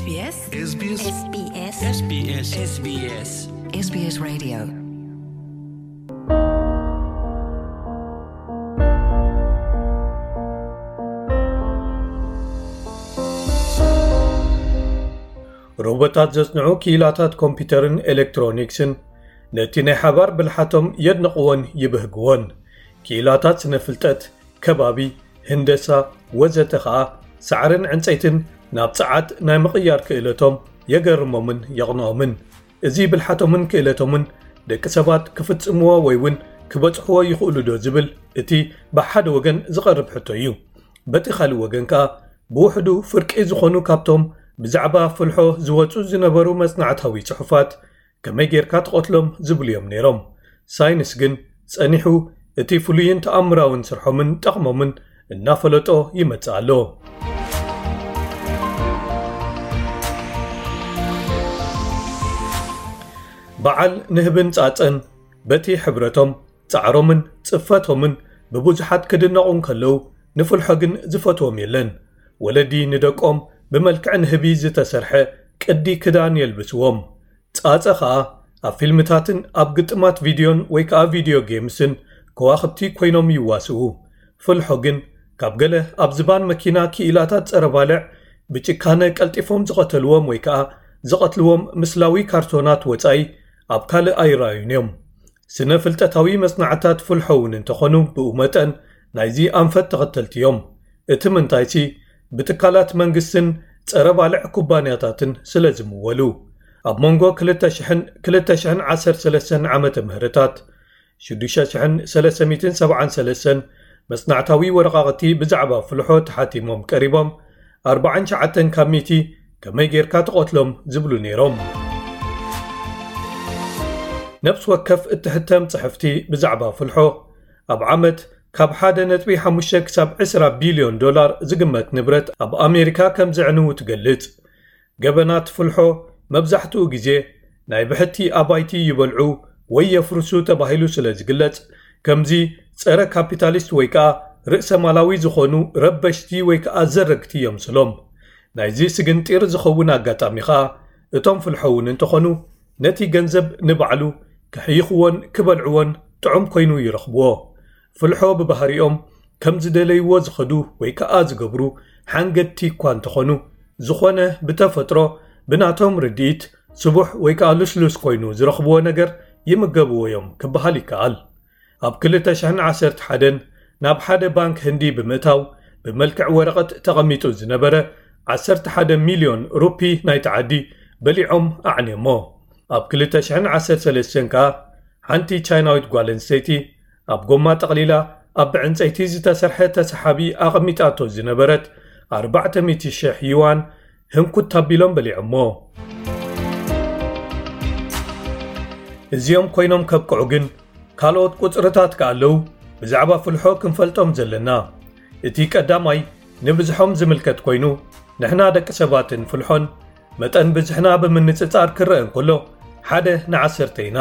SBS SBS SBS SBS SBS SBS Radio. ሮቦታት ዘጽንዑ ክኢላታት ኮምፒውተርን ኤሌክትሮኒክስን ነቲ ናይ ሓባር ብልሓቶም የድንቕዎን ይብህግዎን። ክኢላታት ስነ ፍልጠት፣ ከባቢ፣ ህንደሳ፣ ወዘተ ኸኣ ሳዕርን ዕንጸይትን ናብ ጸዓት ናይ ምቕያር ክእለቶም የገርሞምን የቕንኦምን። እዚ ብልሓቶምን ክእለቶምን ደቂ ሰባት ክፍጽምዎ ወይ እውን ክበጽሕዎ ይኽእሉ ዶ ዝብል እቲ ብሓደ ወገን ዝቐርብ ሕቶ እዩ። በቲ ካልእ ወገን ከኣ ብውሕዱ ፍርቂ ዝኾኑ ካብቶም ብዛዕባ ፍልሖ ዝወጹ ዝነበሩ መጽናዕታዊ ጽሑፋት ከመይ ጌርካ ትቐትሎም ዝብሉ እዮም ነይሮም። ሳይንስ ግን ጸኒሑ እቲ ፍሉይን ተኣምራውን ስርሖምን ጠቕሞምን እናፈለጦ ይመጽእ ኣሎ። በዓል ንህብን ጻጸን በቲ ሕብረቶም፣ ጻዕሮምን ጽፈቶምን ብብዙሓት ክድነቑ እንከለዉ፣ ንፍልሖ ግን ዝፈትዎም የለን። ወለዲ ንደቆም ብመልክዕ ንህቢ ዝተሰርሐ ቅዲ ክዳን የልብስዎም። ጻጸ ኸኣ ኣብ ፊልምታትን ኣብ ግጥማት ቪድዮን ወይ ከኣ ቪድዮ ጌምስን ከዋኽብቲ ኮይኖም ይዋስኡ። ፍልሖ ግን ካብ ገለ ኣብ ዝባን መኪና ክኢላታት ጸረ ባልዕ ብጭካነ ቀልጢፎም ዝቐተልዎም ወይ ከኣ ዝቐትልዎም ምስላዊ ካርቶናት ወጻኢ ኣብ ካልእ ኣይረኣዩን እዮም። ስነ ፍልጠታዊ መጽናዕታት ፍልሖ እውን እንተኾኑ ብኡ መጠን ናይዚ ኣንፈት ተኸተልቲ እዮም። እቲ ምንታይሲ ብትካላት መንግስትን ጸረ ባልዕ ኩባንያታትን ስለ ዝምወሉ። ኣብ መንጎ ክልተ ሽሕን ክልተ ሽሕን ዓሰርተ ሰለስተን ዓመተ ምህረታት ሽዱሽተ ሽሕን ሰለስተ ሚእትን ሰብዓን ሰለስተን መጽናዕታዊ ወረቓቕቲ ብዛዕባ ፍልሖ ተሓቲሞም ቀሪቦም፣ ኣርባዓን ትሽዓተን ካብ ሚእቲ ከመይ ጌርካ ትቐትሎም ዝብሉ ነይሮም። ነፍሲ ወከፍ እትሕተም ጽሕፍቲ ብዛዕባ ፍልሖ ኣብ ዓመት ካብ ሓደ ነጥቢ ሓሙሽተ ክሳብ ዕስራ ቢልዮን ዶላር ዝግመት ንብረት ኣብ ኣሜሪካ ከም ዘዕንዉ ትገልጽ። ገበናት ፍልሖ መብዛሕትኡ ግዜ ናይ ብሕቲ ኣባይቲ ይበልዑ ወይ የፍርሱ ተባሂሉ ስለ ዝግለጽ፣ ከምዚ ጸረ ካፒታሊስት ወይ ከኣ ርእሰ ማላዊ ዝኾኑ ረበሽቲ ወይ ከኣ ዘረግቲ የምስሎም። ናይዚ ስግንጢር ዝኸውን ኣጋጣሚ ኸኣ፣ እቶም ፍልሖ እውን እንተኾኑ፣ ነቲ ገንዘብ ንባዕሉ ክሕይኽዎን ክበልዕዎን ጥዑም ኮይኑ ይረኽብዎ። ፍልሖ ብባህሪኦም ከም ዝደለይዎ ዝኸዱ ወይ ከኣ ዝገብሩ ሓንገድቲ እኳ እንተኾኑ፣ ዝኾነ ብተፈጥሮ ብናቶም ርድኢት ስቡሕ ወይ ከኣ ልስሉስ ኮይኑ ዝረኽብዎ ነገር ይምገብዎ እዮም ክበሃል ይከኣል። ኣብ ክልተ ሽሕን ዓሰርተ ሓደን ናብ ሓደ ባንክ ህንዲ ብምእታው ብመልክዕ ወረቐት ተቐሚጡ ዝነበረ ዓሰርተ ሓደ ሚልዮን ሩፒ ናይቲ ዓዲ በሊዖም ኣዕንዮሞ። ኣብ ክልተ ሽሕን ዓሰርተ ሰለስተን ከኣ ሓንቲ ቻይናዊት ጓል ኣንስተይቲ ኣብ ጎማ ጠቕሊላ ኣብ ብዕንጸይቲ ዝተሰርሐ ተሰሓቢ ኣቐሚጣቶ ዝነበረት ኣርባዕተ ሚእቲ ሽሕ ዩዋን ህንኩት ኣቢሎም በሊዖሞ። እዚኦም ኮይኖም ከብቅዑ ግን ካልኦት ቁጽርታት ከኣ ኣለዉ ብዛዕባ ፍልሖ ክንፈልጦም ዘለና። እቲ ቀዳማይ ንብዝሖም ዝምልከት ኮይኑ፣ ንሕና ደቂ ሰባትን ፍልሖን መጠን ብዝሕና ብምንጽጻር ክረአ እንከሎ፣ ሓደ ንዓሰርተ ኢና።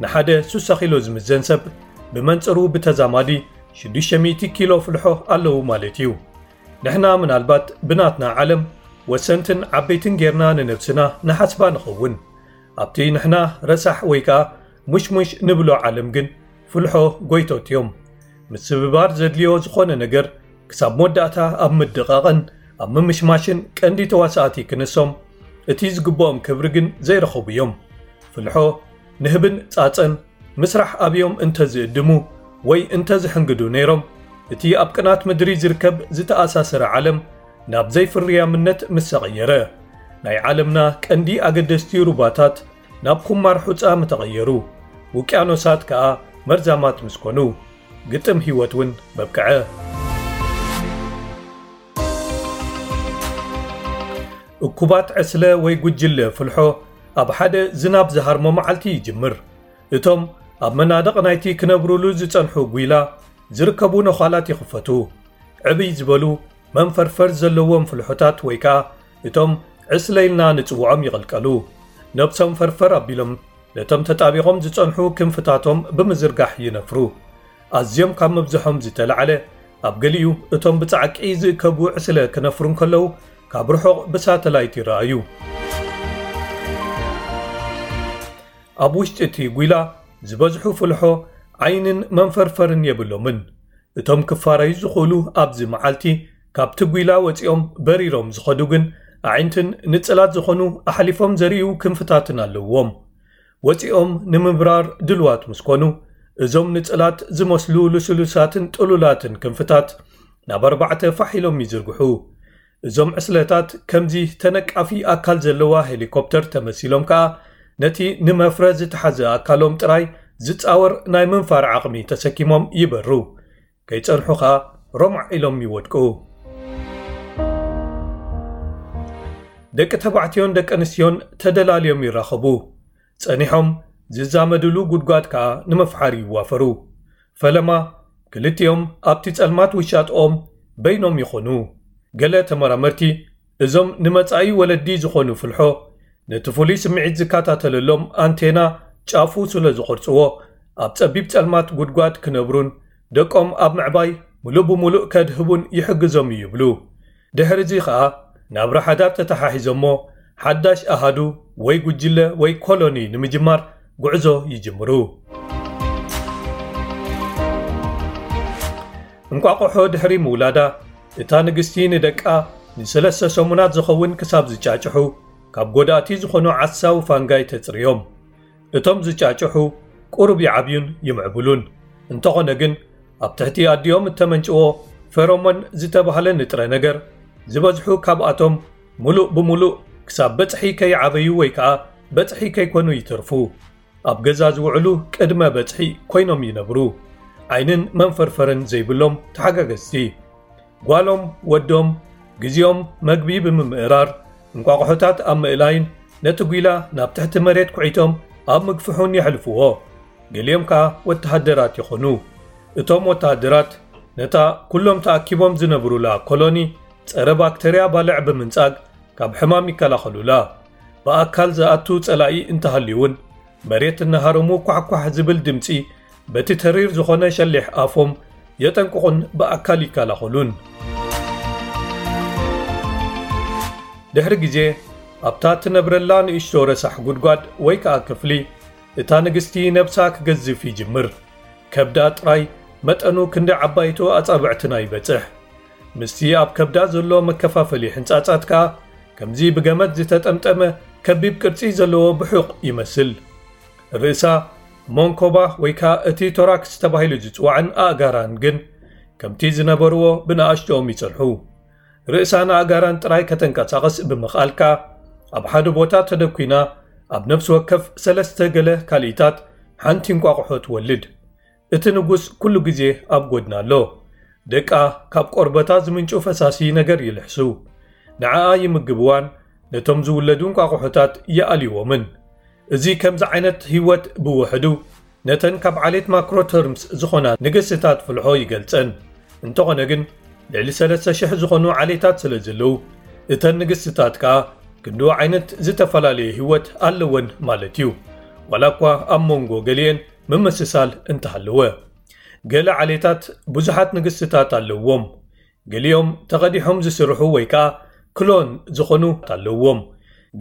ንሓደ ሱሳ ኪሎ ዝምዘን ሰብ ብመንጽሩ ብተዛማዲ ሽዱሽተ ሚእቲ ኪሎ ፍልሖ ኣለዉ ማለት እዩ። ንሕና ምናልባት ብናትና ዓለም ወሰንትን ዓበይትን ጌርና ንነብስና ንሓስባ ንኸውን። ኣብቲ ንሕና ረሳሕ ወይ ከኣ ሙሽሙሽ ንብሎ ዓለም ግን ፍልሖ ጎይቶት እዮም። ምስብባር ዘድልዮ ዝኾነ ነገር ክሳብ መወዳእታ ኣብ ምድቓቕን ኣብ ምምሽማሽን ቀንዲ ተዋሳእቲ ክንሶም፣ እቲ ዝግብኦም ክብሪ ግን ዘይረኸቡ እዮም። ፍልሖ ንህብን ጻጸን ምስራሕ ኣብዮም እንተዝእድሙ ወይ እንተዝሕንግዱ ነይሮም፣ እቲ ኣብ ቅናት ምድሪ ዝርከብ ዝተኣሳሰረ ዓለም ናብ ዘይፍርያምነት ምሰቐየረ፣ ናይ ዓለምና ቀንዲ ኣገደስቲ ሩባታት ናብ ኩማር ሑጻ ምተቐየሩ፣ ውቅያኖሳት ከኣ መርዛማት ምስ ኮኑ፣ ግጥም ህይወት እውን መብቅዐ። እኩባት ዕስለ ወይ ጉጅለ ፍልሖ ኣብ ሓደ ዝናብ ዝሃርሞ መዓልቲ ይጅምር። እቶም ኣብ መናድቕ ናይቲ ክነብሩሉ ዝጸንሑ ጒላ ዝርከቡ ነዃላት ይኽፈቱ። ዕብይ ዝበሉ መንፈርፈር ዘለዎም ፍልሖታት ወይ ከኣ እቶም ዕስለ ኢልና ንጽውዖም ይቕልቀሉ። ነብሶም ፈርፈር ኣቢሎም ነቶም ተጣቢቖም ዝጸንሑ ክንፍታቶም ብምዝርጋሕ ይነፍሩ። ኣዝዮም ካብ ምብዝሖም ዝተላዕለ፣ ኣብ ገሊኡ እቶም ብጻዕቂ ዝእከቡ ዕስለ ክነፍሩ እንከለዉ፣ ኣብ ርሑቕ ብሳተላይት ይረኣዩ። ኣብ ውሽጢ እቲ ጒላ ዝበዝሑ ፍልሖ ዓይንን መንፈርፈርን የብሎምን። እቶም ክፋረዩ ዝኽእሉ ኣብዚ መዓልቲ ካብቲ ጒላ ወጺኦም በሪሮም ዝኸዱ ግን ኣዒንትን ንጽላት ዝኾኑ ኣሕሊፎም ዘርእዩ ክንፍታትን ኣለዎም። ወጺኦም ንምብራር ድልዋት ምስ ኮኑ፣ እዞም ንጽላት ዝመስሉ ልስሉሳትን ጥሉላትን ክንፍታት ናብ ኣርባዕተ ፋሕ ኢሎም ይዝርግሑ። እዞም ዕስለታት ከምዚ ተነቃፊ ኣካል ዘለዋ ሄሊኮፕተር ተመሲሎም ከኣ ነቲ ንመፍረ ዝተሓዘ ኣካሎም ጥራይ ዝጻወር ናይ ምንፋር ዓቕሚ ተሰኪሞም ይበሩ። ከይጸንሑ ከኣ ሮማዕ ኢሎም ይወድቁ። ደቂ ተባዕትዮን ደቂ ኣንስትዮን ተደላልዮም ይራኸቡ። ጸኒሖም ዝዛመድሉ ጉድጓድ ከኣ ንምፍሓር ይዋፈሩ። ፈለማ ክልቲኦም ኣብቲ ጸልማት ውሻጥኦም በይኖም ይኾኑ። ገለ ተመራመርቲ እዞም ንመጻኢ ወለዲ ዝኾኑ ፍልሖ ነቲ ፍሉይ ስምዒት ዝከታተለሎም ኣንቴና ጫፉ ስለ ዝቖርጽዎ ኣብ ጸቢብ ጸልማት ጉድጓድ ክነብሩን ደቆም ኣብ ምዕባይ ምሉእ ብምሉእ ከድህቡን ይሕግዞም እዩ ይብሉ። ድሕሪ እዚ ኸኣ ናብራ ሓዳር ተተሓሒዞሞ ሓዳሽ ኣሃዱ ወይ ጉጅለ ወይ ኮሎኒ ንምጅማር ጉዕዞ ይጅምሩ። እንቋቑሖ ድሕሪ ምውላዳ እታ ንግስቲ ንደቃ ንሰለስተ ሰሙናት ዝኸውን ክሳብ ዝጫጭሑ ካብ ጎዳእቲ ዝኾኑ ዓሳዊ ፋንጋይ ተጽርዮም። እቶም ዝጫጭሑ ቁሩብ ይዓብዩን ይምዕብሉን። እንተኾነ ግን ኣብ ትሕቲ ኣዲኦም እተመንጭዎ ፈሮሞን ዝተባህለ ንጥረ ነገር ዝበዝሑ ካብኣቶም ምሉእ ብምሉእ ክሳብ በጽሒ ከይዓበዩ ወይ ከኣ በጽሒ ከይኮኑ ይተርፉ። ኣብ ገዛ ዝውዕሉ ቅድመ በጽሒ ኮይኖም ይነብሩ። ዓይንን መንፈርፈርን ዘይብሎም ተሓጋገዝቲ። ጓሎም ወዶም ግዜኦም መግቢ ብምምእራር እንቋቑሖታት ኣብ ምእላይን ነቲ ጒላ ናብ ትሕቲ መሬት ኩዒቶም ኣብ ምግፍሑን የሕልፍዎ። ገሊኦም ከኣ ወተሃደራት ይኾኑ። እቶም ወተሃደራት ነታ ኩሎም ተኣኪቦም ዝነብሩላ ኮሎኒ ጸረ ባክተርያ ባልዕ ብምንጻግ ካብ ሕማም ይከላኸሉላ። ብኣካል ዝኣቱ ጸላኢ እንተሃልዩ እውን መሬት እናሃረሙ ኳሕኳሕ ዝብል ድምጺ በቲ ተሪር ዝኾነ ሸሊሕ ኣፎም የጠንቅቑን ብኣካል ይከላኸሉን። ድሕሪ ግዜ ኣብታ ትነብረላ ንእሽቶ ረሳሕ ጉድጓድ ወይ ከኣ ክፍሊ እታ ንግስቲ ነብሳ ክገዝፍ ይጅምር። ከብዳ ጥራይ መጠኑ ክንዲ ዓባይቶ ኣጻብዕትና ይበጽሕ። ምስቲ ኣብ ከብዳ ዘሎ መከፋፈሊ ሕንጻጻት ከኣ ከምዚ ብገመድ ዝተጠምጠመ ከቢብ ቅርጺ ዘለዎ ብሑቕ ይመስል። ርእሳ፣ መንኮባ ወይ ከኣ እቲ ቶራክስ ተባሂሉ ዝጽዋዕን ኣእጋራን ግን ከምቲ ዝነበርዎ ብንኣሽቶኦም ይጸንሑ። ርእሳን ኣእጋራን ጥራይ ከተንቀሳቕስ ብምኽኣል ከኣ ኣብ ሓደ ቦታ ተደኲና ኣብ ነፍሲ ወከፍ ሰለስተ ገለ ካልኢታት ሓንቲ እንቋቑሖ ትወልድ። እቲ ንጉስ ኩሉ ግዜ ኣብ ጎድና ኣሎ። ደቃ ካብ ቆርበታ ዝምንጩ ፈሳሲ ነገር ይልሕሱ። ንዓኣ ይምግብዋን ነቶም ዝውለዱ እንቋቑሖታት ይኣልይዎምን። እዚ ከምዚ ዓይነት ህይወት ብውሕዱ ነተን ካብ ዓሌት ማክሮተርምስ ዝኾና ንግስታት ፍልሖ ይገልጸን። እንተኾነ ግን ልዕሊ ሰለስተ ሽሕ ዝኾኑ ዓሌታት ስለ ዘለዉ እተን ንግስታት ከኣ ክንድኡ ዓይነት ዝተፈላለየ ህይወት ኣለወን ማለት እዩ። ዋላ እኳ ኣብ መንጎ ገሊኤን ምምስሳል እንተሃለወ። ገለ ዓሌታት ብዙሓት ንግስትታት ኣለውዎም። ገሊኦም ተቐዲሖም ዝስርሑ ወይ ከኣ ክሎን ዝኾኑ ኣለውዎም።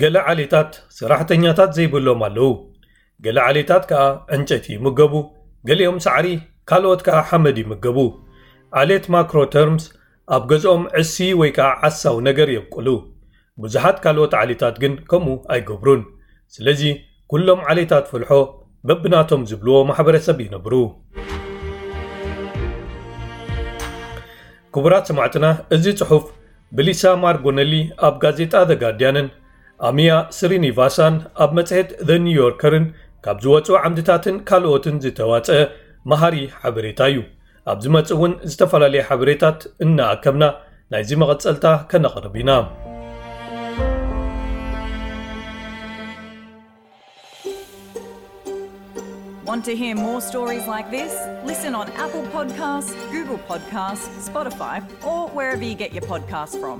ገለ ዓሌታት ሰራሕተኛታት ዘይብሎም ኣለዉ። ገለ ዓሌታት ከኣ ዕንጨይቲ ይምገቡ፣ ገሊኦም ሳዕሪ፣ ካልኦት ከኣ ሓመድ ይምገቡ። ዓሌት ማክሮተርምስ ኣብ ገዝኦም ዕሲ ወይ ከኣ ዓሳው ነገር የብቁሉ። ብዙሓት ካልኦት ዓሌታት ግን ከምኡ ኣይገብሩን። ስለዚ ኩሎም ዓሌታት ፍልሖ በብናቶም ዝብልዎ ማሕበረሰብ ይነብሩ። ክቡራት ሰማዕትና፣ እዚ ጽሑፍ ብሊሳ ማርጎነሊ ኣብ ጋዜጣ ዘ ጋርዲያንን ኣሚያ ስሪኒቫሳን ኣብ መጽሔት ዘ ኒውዮርከርን ካብ ዝወጹ ዓምድታትን ካልኦትን ዝተዋጸ መሃሪ ሓበሬታ እዩ። ኣብ ዝመጽእ እውን ዝተፈላለየ ሓበሬታት እናኣከብና ናይዚ መቐጸልታ ከነቕርብ ኢና። Want to hear more stories like this? Listen on Apple Podcasts, Google Podcasts, Spotify, or wherever you get your podcasts from.